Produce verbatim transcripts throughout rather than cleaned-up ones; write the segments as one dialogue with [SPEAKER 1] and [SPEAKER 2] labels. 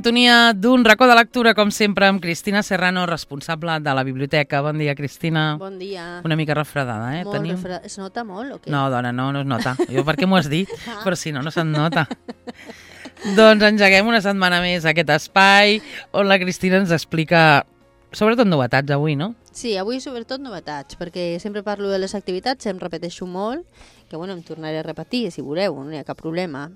[SPEAKER 1] sintonia d'un racó de lectura, com sempre, amb Cristina Serrano, responsable de la biblioteca. Bon dia, Cristina.
[SPEAKER 2] Bon dia.
[SPEAKER 1] Una mica refredada, eh?
[SPEAKER 2] Molt
[SPEAKER 1] Tenim...
[SPEAKER 2] refredada. Es nota molt o què?
[SPEAKER 1] No, dona, no, no es nota. Jo per què m'ho has dit? Però si no, no se'n nota. Doncs engeguem una setmana més aquest espai on la Cristina ens explica sobretot novetats avui, no?
[SPEAKER 2] Sí, avui sobretot novetats, perquè sempre parlo de les activitats, em repeteixo molt, que bueno, em tornaré a repetir, si voleu, no hi ha cap problema.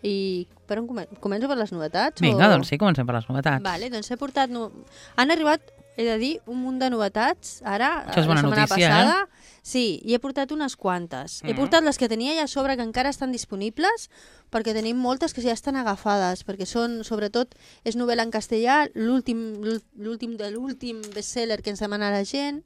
[SPEAKER 2] I per on comen començo per les novetats?
[SPEAKER 1] Vinga,
[SPEAKER 2] o...
[SPEAKER 1] doncs sí, comencem per les novetats.
[SPEAKER 2] Vale, doncs he portat... No... Han arribat, he de dir, un munt de novetats, ara,
[SPEAKER 1] Això és bona
[SPEAKER 2] la setmana
[SPEAKER 1] notícia,
[SPEAKER 2] passada.
[SPEAKER 1] eh?
[SPEAKER 2] Sí, i he portat unes quantes.
[SPEAKER 1] Mm.
[SPEAKER 2] He portat les que tenia ja a sobre, que encara estan disponibles, perquè tenim moltes que ja estan agafades, perquè són, sobretot, és novel·la en castellà, l'últim l'últim de l'últim bestseller que ens demana la gent.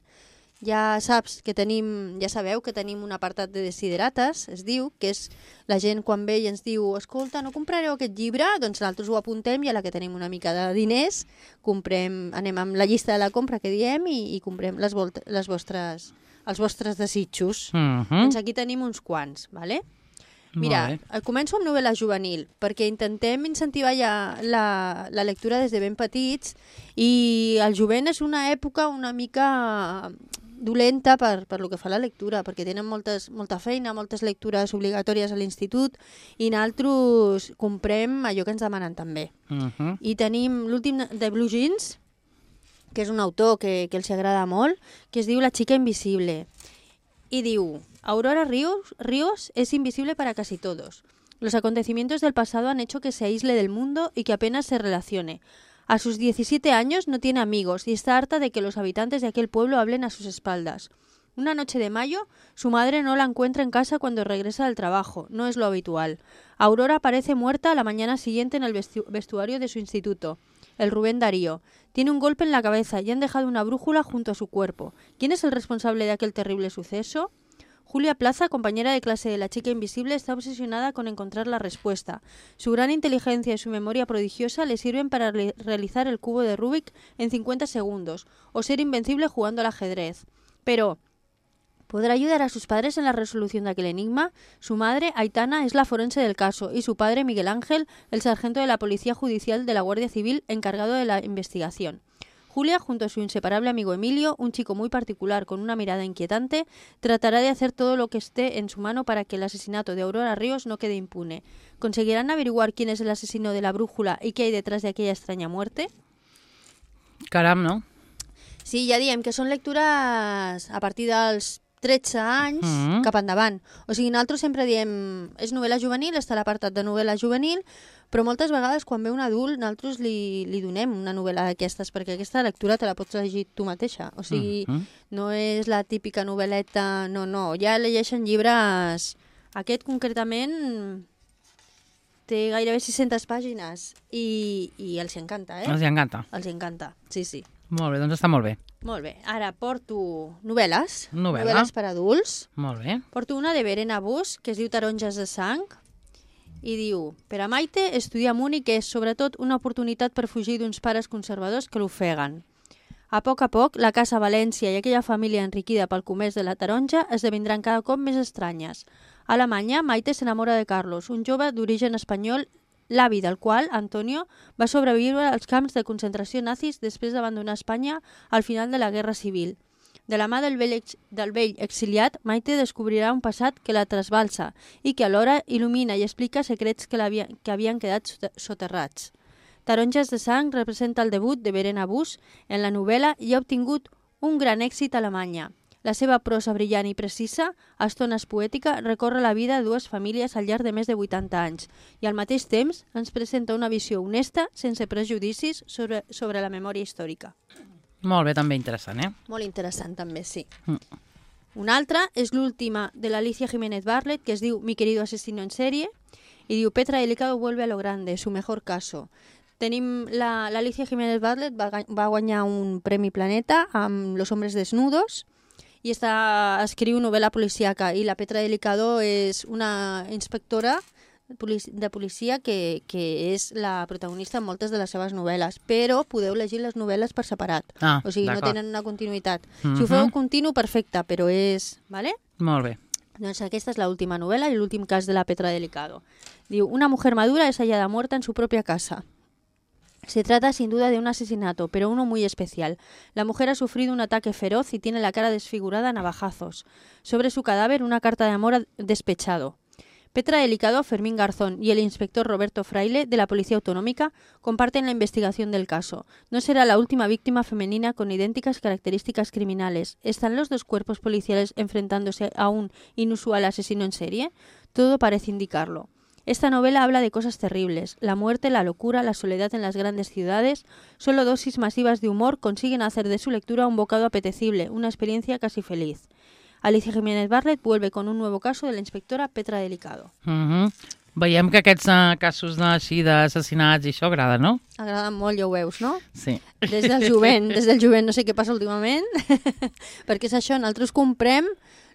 [SPEAKER 2] Ja saps que tenim, ja sabeu que tenim un apartat de desiderates, es diu, que és la gent quan ve i ens diu escolta, no comprareu aquest llibre? Doncs nosaltres ho apuntem i a la que tenim una mica de diners comprem, anem amb la llista de la compra que diem i, i comprem les, les vostres, els vostres desitjos.
[SPEAKER 1] Mm -hmm.
[SPEAKER 2] Doncs aquí tenim uns quants, vale? Mira, començo amb novel·la juvenil, perquè intentem incentivar ja la, la lectura des de ben petits i el jovent és una època una mica dolenta per, per lo que fa a la lectura, perquè tenen moltes, molta feina, moltes lectures obligatòries a l'institut i nosaltres comprem allò que ens demanen també.
[SPEAKER 1] Mm -hmm.
[SPEAKER 2] I tenim l'últim de Blue Jeans, que és un autor que, que els agrada molt, que es diu La chica invisible. Y diu, Aurora Ríos, Ríos es invisible para casi todos. Los acontecimientos del pasado han hecho que se aísle del mundo y que apenas se relacione. A sus diecisiete años no tiene amigos y está harta de que los habitantes de aquel pueblo hablen a sus espaldas. Una noche de mayo, su madre no la encuentra en casa cuando regresa del trabajo, no es lo habitual. Aurora aparece muerta a la mañana siguiente en el vestu- vestuario de su instituto, el Rubén Darío. Tiene un golpe en la cabeza y han dejado una brújula junto a su cuerpo. ¿Quién es el responsable de aquel terrible suceso? Julia Plaza, compañera de clase de la chica invisible, está obsesionada con encontrar la respuesta. Su gran inteligencia y su memoria prodigiosa le sirven para re- realizar el cubo de Rubik en cincuenta segundos o ser invencible jugando al ajedrez. Pero, ¿podrá ayudar a sus padres en la resolución de aquel enigma? Su madre, Aitana, es la forense del caso y su padre, Miguel Ángel, el sargento de la Policía Judicial de la Guardia Civil encargado de la investigación. Julia, junto a su inseparable amigo Emilio, un chico muy particular con una mirada inquietante, tratará de hacer todo lo que esté en su mano para que el asesinato de Aurora Ríos no quede impune. ¿Conseguirán averiguar quién es el asesino de la brújula y qué hay detrás de aquella extraña muerte?
[SPEAKER 1] Caram, no?
[SPEAKER 2] Sí, ja diem que són lectures a partir dels tretze anys mm -hmm. cap endavant. O sigui, nosaltres sempre diem, és novel·la juvenil, està l'apartat de novel·la juvenil, però moltes vegades quan ve un adult nosaltres li, li donem una novel·la d'aquestes, perquè aquesta lectura te la pots llegir tu mateixa. O sigui, mm -hmm. no és la típica novel·leta, no, no, ja llegeixen llibres. Aquest concretament té gairebé sis-centes pàgines i, i els encanta, eh?
[SPEAKER 1] Els encanta.
[SPEAKER 2] Els encanta, sí, sí.
[SPEAKER 1] Molt bé, doncs està molt bé.
[SPEAKER 2] Molt bé, ara porto novel·les,
[SPEAKER 1] Novel·la.
[SPEAKER 2] novel·les per adults.
[SPEAKER 1] Molt bé.
[SPEAKER 2] Porto una de Verena Bus, que es diu Taronges de sang, i diu, per a Maite, estudiar a Múnich és, sobretot, una oportunitat per fugir d'uns pares conservadors que l'ofeguen. A poc a poc, la casa València i aquella família enriquida pel comerç de la taronja esdevindran cada cop més estranyes. A Alemanya, Maite s'enamora de Carlos, un jove d'origen espanyol, l'avi del qual, Antonio, va sobreviure als camps de concentració nazis després d'abandonar Espanya al final de la Guerra Civil. De la mà del vell, ex del vell exiliat, Maite descobrirà un passat que la trasbalsa i que alhora il·lumina i explica secrets que, havia, que havien quedat soterrats. Taronges de sang representa el debut de Verena Bus en la novel·la i ha obtingut un gran èxit a Alemanya. La seva prosa brillant i precisa, a estones poètica, recorre la vida de dues famílies al llarg de més de vuitanta anys i al mateix temps ens presenta una visió honesta, sense prejudicis, sobre, sobre la memòria històrica.
[SPEAKER 1] Molt bé, també interessant, eh?
[SPEAKER 2] Molt interessant, també, sí.
[SPEAKER 1] Mm.
[SPEAKER 2] Una altra és l'última de l'Alicia Jiménez Barlet, que es diu Mi querido asesino en serie, i diu Petra Delicado vuelve a lo grande, su mejor caso. Tenim l'Alicia Jiménez Barlet, va, va guanyar un Premi Planeta amb Los hombres desnudos, i està, escriu novel·la policíaca, i la Petra Delicado és una inspectora de policia que, que és la protagonista en moltes de les seves novel·les, però podeu llegir les novel·les per separat.
[SPEAKER 1] Ah,
[SPEAKER 2] o sigui, no tenen una continuïtat.
[SPEAKER 1] Mm-hmm.
[SPEAKER 2] Si ho feu continu, perfecte, però és... Vale?
[SPEAKER 1] Molt bé.
[SPEAKER 2] Doncs aquesta és l'última novel·la i l'últim cas de la Petra Delicado. Diu, una mujer madura es hallada muerta en su propia casa. Se trata sin duda de un asesinato, pero uno muy especial. La mujer ha sufrido un ataque feroz y tiene la cara desfigurada a navajazos. Sobre su cadáver una carta de amor despechado. Petra Delicado, Fermín Garzón y el inspector Roberto Fraile, de la Policía Autonómica, comparten la investigación del caso. No será la última víctima femenina con idénticas características criminales. ¿Están los dos cuerpos policiales enfrentándose a un inusual asesino en serie? Todo parece indicarlo. Esta novela habla de cosas terribles, la muerte, la locura, la soledad en las grandes ciudades. Solo dosis masivas de humor consiguen hacer de su lectura un bocado apetecible, una experiencia casi feliz. Alicia Jiménez Barlet vuelve con un nuevo caso de la inspectora Petra Delicado.
[SPEAKER 1] Uh -huh. Veiem que aquests uh, casos així d'assassinats i això agrada, no?
[SPEAKER 2] Agraden molt, ja ho veus, no?
[SPEAKER 1] Sí.
[SPEAKER 2] Des del jovent, des del jovent, no sé què passa últimament, perquè és això, nosaltres comprem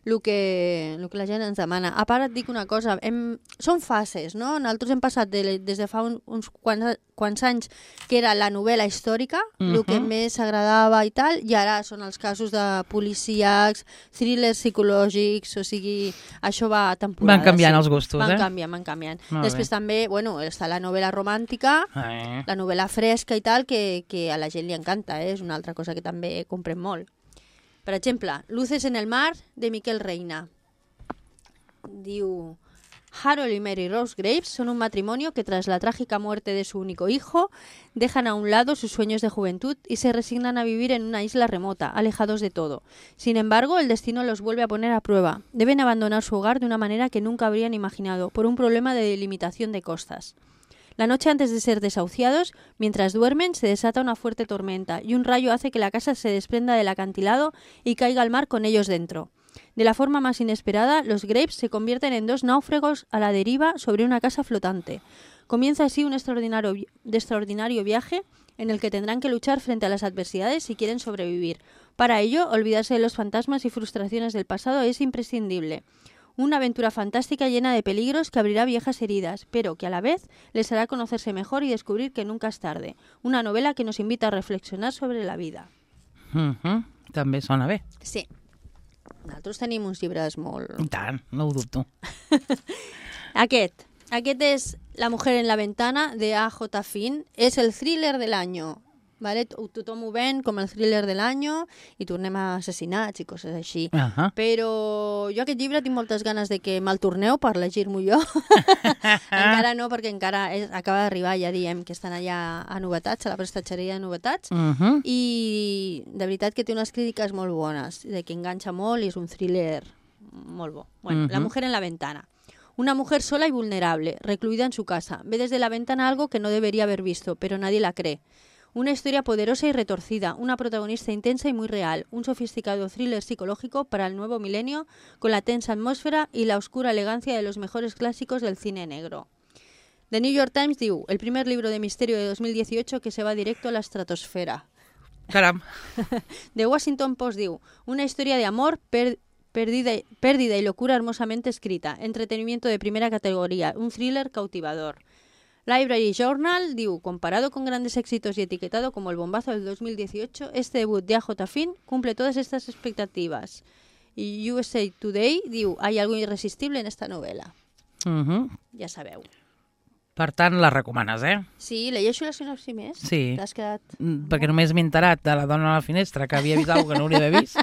[SPEAKER 2] el que, el que la gent ens demana. A part et dic una cosa, hem, són fases, no? Nosaltres hem passat de, des de fa un, uns quants, quants anys que era la novel·la històrica, uh -huh. el que més agradava i tal, i ara són els casos de policíacs, thrillers psicològics, o sigui, això va a temporada.
[SPEAKER 1] Van canviant
[SPEAKER 2] sí.
[SPEAKER 1] els gustos,
[SPEAKER 2] van
[SPEAKER 1] eh?
[SPEAKER 2] Van canviant, van canviant.
[SPEAKER 1] Molt
[SPEAKER 2] Després
[SPEAKER 1] bé.
[SPEAKER 2] també, bueno, està la novel·la romàntica,
[SPEAKER 1] Eh.
[SPEAKER 2] la novel·la fresca i tal, que, que a la gent li encanta, eh? És una altra cosa que també comprem molt. Per exemple, Luces en el mar, de Miquel Reina. Diu... Harold y Mary Rose Graves son un matrimonio que tras la trágica muerte de su único hijo dejan a un lado sus sueños de juventud y se resignan a vivir en una isla remota, alejados de todo. Sin embargo, el destino los vuelve a poner a prueba. Deben abandonar su hogar de una manera que nunca habrían imaginado, por un problema de delimitación de costas. La noche antes de ser desahuciados, mientras duermen, se desata una fuerte tormenta y un rayo hace que la casa se desprenda del acantilado y caiga al mar con ellos dentro. De la forma más inesperada, los Graves se convierten en dos náufragos a la deriva sobre una casa flotante. Comienza así un extraordinario, de extraordinario viaje en el que tendrán que luchar frente a las adversidades si quieren sobrevivir. Para ello, olvidarse de los fantasmas y frustraciones del pasado es imprescindible. Una aventura fantástica llena de peligros que abrirá viejas heridas, pero que a la vez les hará conocerse mejor y descubrir que nunca es tarde. Una novela que nos invita a reflexionar sobre la vida.
[SPEAKER 1] Uh-huh. També sona bé.
[SPEAKER 2] Sí. Nosaltres tenim uns llibres molt...
[SPEAKER 1] I tant, no ho dubto.
[SPEAKER 2] Aquest. Aquest és La mujer en la ventana, de A J Finn. És el thriller de l'any. Vale? Tothom ho ven com el thriller de l'any i tornem a assassinats i coses així.
[SPEAKER 1] Uh -huh.
[SPEAKER 2] Però jo aquest llibre tinc moltes ganes de que me'l torneu per llegir-m'ho jo. Encara no, perquè encara és, acaba d'arribar, ja diem, que estan allà a novetats, a la prestatgeria de novetats,
[SPEAKER 1] Uh -huh.
[SPEAKER 2] i de veritat que té unes crítiques molt bones, de que enganxa molt i és un thriller molt bo. Bueno,
[SPEAKER 1] Uh-huh.
[SPEAKER 2] La mujer en la ventana. Una mujer sola y vulnerable, recluida en su casa. Ve desde la ventana algo que no debería haber visto, pero nadie la cree. Una historia poderosa y retorcida, una protagonista intensa y muy real, un sofisticado thriller psicológico para el nuevo milenio con la tensa atmósfera y la oscura elegancia de los mejores clásicos del cine negro. The New York Times diu, el primer libro de misterio de dos mil dieciocho que se va directo a la estratosfera.
[SPEAKER 1] Caram.
[SPEAKER 2] The Washington Post diu, una historia de amor, per pérdida, pérdida y locura hermosamente escrita, entretenimiento de primera categoría, un thriller cautivador. Library Journal diu, comparado con grandes éxitos y etiquetado como el bombazo del dos mil dieciocho, este debut de A J Finn cumple todas estas expectativas. Y U S A Today diu, hay algo irresistible en esta novela.
[SPEAKER 1] Uh -huh.
[SPEAKER 2] Ja sabeu.
[SPEAKER 1] Per tant, la recomanes, eh?
[SPEAKER 2] Sí, llegeixo la sinopsi més?
[SPEAKER 1] Sí.
[SPEAKER 2] T'has quedat...
[SPEAKER 1] Mm, Perquè només m'he enterat de la dona a la finestra, que havia vist alguna que no hauria d'haver vist.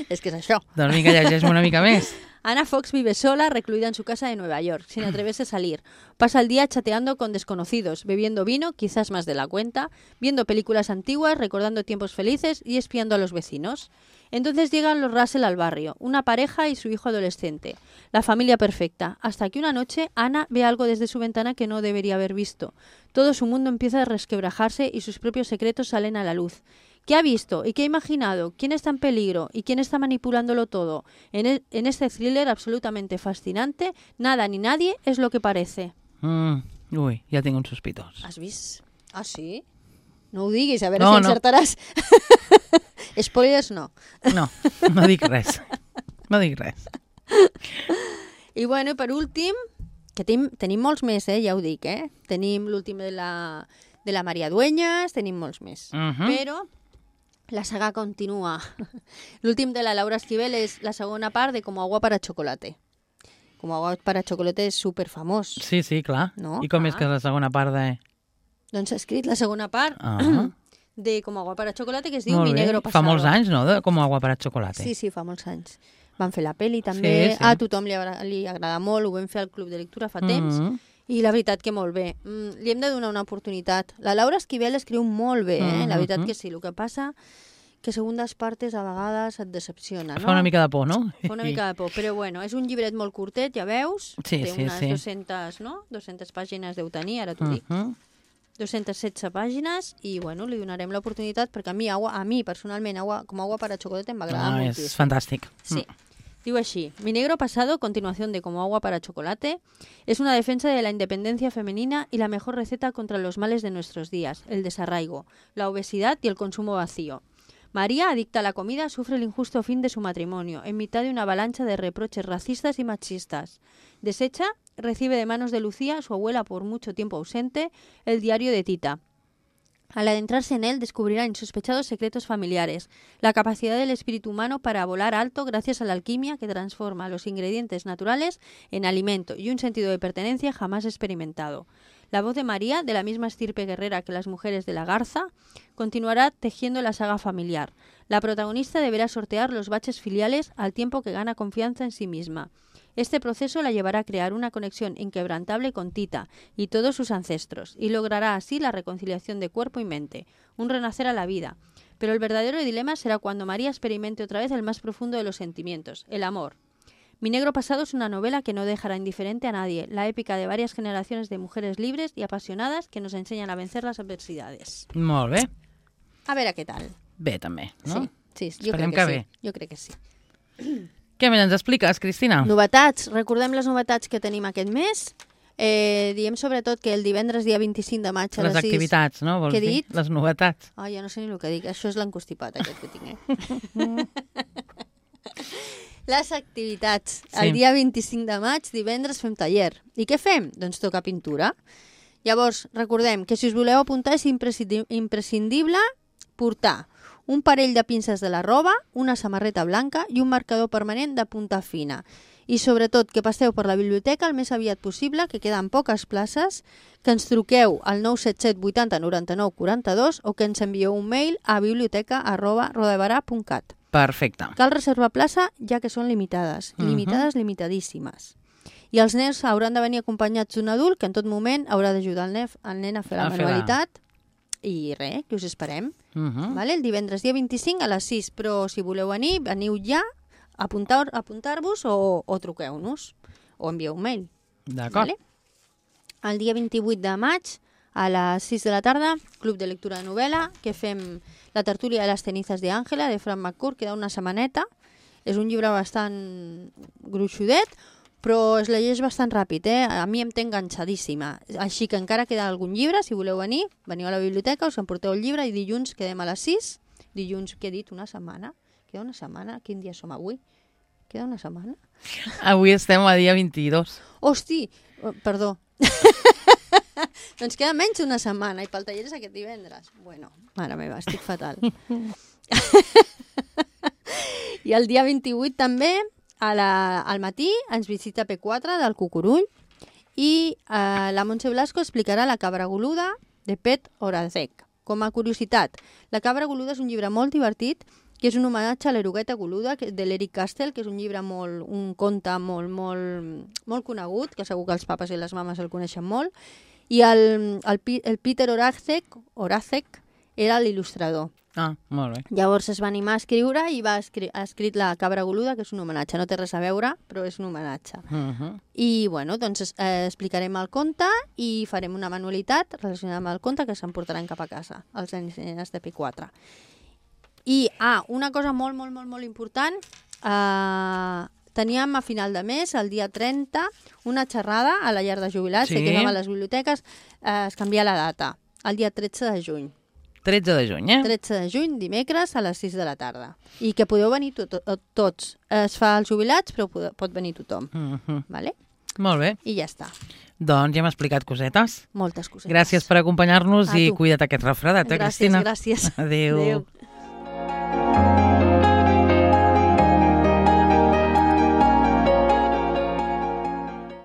[SPEAKER 2] És que és això.
[SPEAKER 1] Doncs vinga, llegeix-me una mica més.
[SPEAKER 2] Ana Fox vive sola, recluida en su casa de Nueva York, sin atreverse a salir. Pasa el día chateando con desconocidos, bebiendo vino, quizás más de la cuenta, viendo películas antiguas, recordando tiempos felices y espiando a los vecinos. Entonces llegan los Russell al barrio, una pareja y su hijo adolescente. La familia perfecta, hasta que una noche Ana ve algo desde su ventana que no debería haber visto. Todo su mundo empieza a resquebrajarse y sus propios secretos salen a la luz. ¿Qué ha visto y qué ha imaginado? ¿Quién está en peligro y quién está manipulándolo todo? En, el, en este thriller absolutamente fascinante, nada ni nadie es lo que parece.
[SPEAKER 1] Mm, ui, ja tinc un sospitós.
[SPEAKER 2] ¿Has vist? Ah, sí? No ho diguis, a veure
[SPEAKER 1] No,
[SPEAKER 2] si
[SPEAKER 1] no.
[SPEAKER 2] encertaràs. Spoilers no.
[SPEAKER 1] No, no dic res. No dic res.
[SPEAKER 2] I bueno, per últim, que tenim, tenim molts més, eh? Ja ho dic, eh? Tenim l'últim de la, de la Maria Dueñas, tenim molts més.
[SPEAKER 1] Uh -huh.
[SPEAKER 2] Però la saga continua. L'últim de la Laura Esquivel és la segona part de Como agua para chocolate. Como agua para chocolate és superfamós.
[SPEAKER 1] Sí, sí, clar.
[SPEAKER 2] No?
[SPEAKER 1] I com
[SPEAKER 2] Ah.
[SPEAKER 1] és que és la segona part de...
[SPEAKER 2] Doncs he escrit la segona part
[SPEAKER 1] Ah.
[SPEAKER 2] de Com agua para chocolate, que es diu
[SPEAKER 1] Molt
[SPEAKER 2] Mi
[SPEAKER 1] bé.
[SPEAKER 2] negro pasado.
[SPEAKER 1] Fa molts anys, no?, de Com agua para chocolate.
[SPEAKER 2] Sí, sí, fa molts anys. Van fer la peli també,
[SPEAKER 1] Sí, sí.
[SPEAKER 2] a tothom li, agra li agrada molt, ho vam fer al Club de Lectura fa temps,
[SPEAKER 1] Mm.
[SPEAKER 2] i la veritat que molt bé. Mm, li hem de donar una oportunitat. La Laura Esquivel escriu molt bé, eh? La veritat que sí. El que passa que segundes partes a vegades et decepciona, no?
[SPEAKER 1] Fa una mica de por, no?
[SPEAKER 2] Fa una mica de por, però bueno, és un llibret molt curtet, ja veus?
[SPEAKER 1] Sí,
[SPEAKER 2] Té
[SPEAKER 1] sí,
[SPEAKER 2] unes
[SPEAKER 1] sí.
[SPEAKER 2] dues-centes, no? dues-centes pàgines deu tenir, ara t'ho dic.
[SPEAKER 1] Mhm.
[SPEAKER 2] dues-centes setze pàgines i bueno, li donarem l'oportunitat perquè a mi, agua, a mi personalment, agua, com agua para chocolate m'agrada
[SPEAKER 1] Ah,
[SPEAKER 2] moltíssim.
[SPEAKER 1] és fantàstic.
[SPEAKER 2] Sí. Diu així: Mi negro pasado, continuación de Como agua para chocolate, es una defensa de la independencia femenina y la mejor receta contra los males de nuestros días, el desarraigo, la obesidad y el consumo vacío. María, adicta a la comida, sufre el injusto fin de su matrimonio, en mitad de una avalancha de reproches racistas y machistas. Deshecha, recibe de manos de Lucía, su abuela por mucho tiempo ausente, el diario de Tita. Al adentrarse en él, descubrirá insospechados secretos familiares, la capacidad del espíritu humano para volar alto gracias a la alquimia que transforma los ingredientes naturales en alimento y un sentido de pertenencia jamás experimentado. La voz de María, de la misma estirpe guerrera que las mujeres de la Garza, continuará tejiendo la saga familiar. La protagonista deberá sortear los baches filiales al tiempo que gana confianza en sí misma. Este proceso la llevará a crear una conexión inquebrantable con Tita y todos sus ancestros, y logrará así la reconciliación de cuerpo y mente, un renacer a la vida. Pero el verdadero dilema será cuando María experimente otra vez el más profundo de los sentimientos, el amor. Mi negro pasado es una novela que no dejará indiferente a nadie, la épica de varias generaciones de mujeres libres y apasionadas que nos enseñan a vencer las adversidades.
[SPEAKER 1] Molt bé.
[SPEAKER 2] A veure què tal.
[SPEAKER 1] Bé, també, no?
[SPEAKER 2] Sí, sí, jo
[SPEAKER 1] Esperem
[SPEAKER 2] crec que,
[SPEAKER 1] que
[SPEAKER 2] sí.
[SPEAKER 1] bé.
[SPEAKER 2] Jo crec que sí.
[SPEAKER 1] Què més ens expliques, Cristina?
[SPEAKER 2] Novetats. Recordem les novetats que tenim aquest mes. Eh, diem sobretot que el divendres dia vint-i-cinc de maig a
[SPEAKER 1] Les
[SPEAKER 2] les sis...
[SPEAKER 1] activitats, no? Vols
[SPEAKER 2] Què he
[SPEAKER 1] dir?
[SPEAKER 2] dit?
[SPEAKER 1] Les novetats.
[SPEAKER 2] Ah, ja no sé ni el que dic. Això és l'encostipat, aquest que tinc, eh? Les activitats.
[SPEAKER 1] Sí.
[SPEAKER 2] El dia vint-i-cinc de maig, divendres, fem taller. I què fem? Doncs tocar pintura. Llavors, recordem que si us voleu apuntar és imprescindi- imprescindible portar un parell de pinces de la roba, una samarreta blanca i un marcador permanent de punta fina. I sobretot que passeu per la biblioteca el més aviat possible, que queden poques places, que ens truqueu al nou set set vuitanta noranta-nou quaranta-dos o que ens envieu un mail a biblioteca arroba rodabarà punt cat.
[SPEAKER 1] Perfecte.
[SPEAKER 2] Cal reservar plaça ja que són limitades,
[SPEAKER 1] Mhm.
[SPEAKER 2] limitades, limitadíssimes. I els nens hauran de venir acompanyats d'un adult que en tot moment haurà d'ajudar el, nef, el nen a fer la
[SPEAKER 1] A fer la-
[SPEAKER 2] manualitat. I res, que us esperem.
[SPEAKER 1] Mhm.
[SPEAKER 2] Vale? El divendres dia vint-i-cinc a les sis, però si voleu venir, veniu ja, apuntar- apuntar-vos o, o truqueu-nos o envieu un mail.
[SPEAKER 1] D'acord.
[SPEAKER 2] Vale? El dia vint-i-vuit de maig a les sis de la tarda, Club de Lectura de Novel·la, que fem la tertúlia de les cenizas de Àngela, de Frank McCourt, queda una setmaneta. És un llibre bastant gruixudet, però es llegeix bastant ràpid, eh? A mi em té enganxadíssima. Així que encara queda algun llibre, si voleu venir, veniu a la biblioteca, us emporteu el llibre i dilluns quedem a les sis. Dilluns, què he dit, una setmana? Queda una setmana? Quin dia som avui? Queda una setmana?
[SPEAKER 1] Avui estem a dia vint-i-dos.
[SPEAKER 2] Hosti, oh, perdó. Doncs queda menys d'una setmana i pel taller és aquest divendres. Bueno, mare meva, estic fatal. I el dia vint-i-vuit també, a la, al matí, ens visita P quatre del Cucurull i eh, la Montse Blasco explicarà La cabra goluda de Pet Horazek. Com a curiositat, La cabra goluda és un llibre molt divertit que és un homenatge a l'erugueta goluda que- de l'Eric Castell, que és un llibre molt, un conte molt, molt, molt conegut, que segur que els papes i les mames el coneixen molt, i el, el, Pi- el Peter Horazek, Horazek era l'il·lustrador.
[SPEAKER 1] Ah, molt bé.
[SPEAKER 2] Llavors es va animar a escriure i va escri ha escrit La cabra goluda, que és un homenatge. No té res a veure, però és un homenatge.
[SPEAKER 1] Mhm.
[SPEAKER 2] I, bueno, doncs eh, explicarem el conte i farem una manualitat relacionada amb el conte que s'emportaran cap a casa, els nens i nenes de P quatre. I, ah, una cosa molt, molt, molt, molt important, eh, teníem a final de mes, el dia trenta, una xerrada a la llar de jubilats,
[SPEAKER 1] Sí.
[SPEAKER 2] que és a les biblioteques, eh, es canvia la data, el dia tretze de juny.
[SPEAKER 1] tretze de juny, eh?
[SPEAKER 2] tretze de juny, dimecres, a les sis de la tarda. I que podeu venir to to tots. Es fa als jubilats, però pot, pot venir tothom.
[SPEAKER 1] Mhm.
[SPEAKER 2] Vale?
[SPEAKER 1] Molt bé.
[SPEAKER 2] I ja està.
[SPEAKER 1] Doncs ja hem explicat cosetes.
[SPEAKER 2] Moltes cosetes.
[SPEAKER 1] Gràcies per acompanyar-nos
[SPEAKER 2] A
[SPEAKER 1] i
[SPEAKER 2] tu.
[SPEAKER 1] cuida't aquest refredat, eh,
[SPEAKER 2] Gràcies,
[SPEAKER 1] Cristina?
[SPEAKER 2] gràcies.
[SPEAKER 1] Adéu.
[SPEAKER 2] Adéu.